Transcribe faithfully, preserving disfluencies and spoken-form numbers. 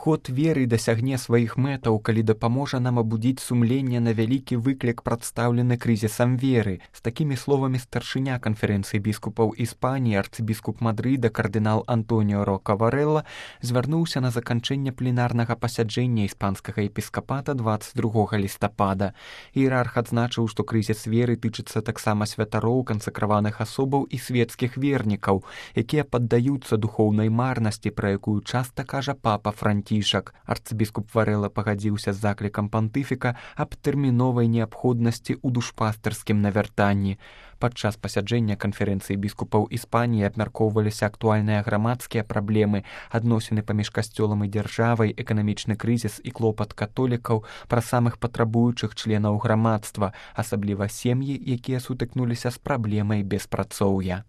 Год веры дасягне сваіх мэтаў, калі дапаможа нам абудзіць сумленне на вялікі выклік, прадстаўлены крызісам веры. З такімі словамі старшыня канферэнцыі біскупаў Іспаніі, арцыбіскуп Мадрыда, кардынал Антоніо Рока Варэлла, звярнуўся на заканчэнне пленарнага пасяджэння іспанскага епіскапата дваццаць другога лістапада. Іерарх адзначыў, што крызіс веры тычыцца таксама святароў, кансакраваных асобаў і светскіх вернікаў, якія паддаюцца духоўнай марнасці, пра якую часта кажа папа Францішак. Арцыбіскуп Варэлла пагадзіўся з заклікам пантыфіка аб тэрміновай неабходнасці ў душпастырскім навяртанні. Падчас пасяджэння канферэнцыі біскупаў Іспаніі абмяркоўваліся актуальныя грамадскія праблемы, адносіны паміж касцёлам і дзяржавай, эканамічны крызіс і клопат католікаў, пра самых патрабуючых членаў грамадства, асабліва сем'і, якія сутыкнуліся з праблемай беспрацоўя.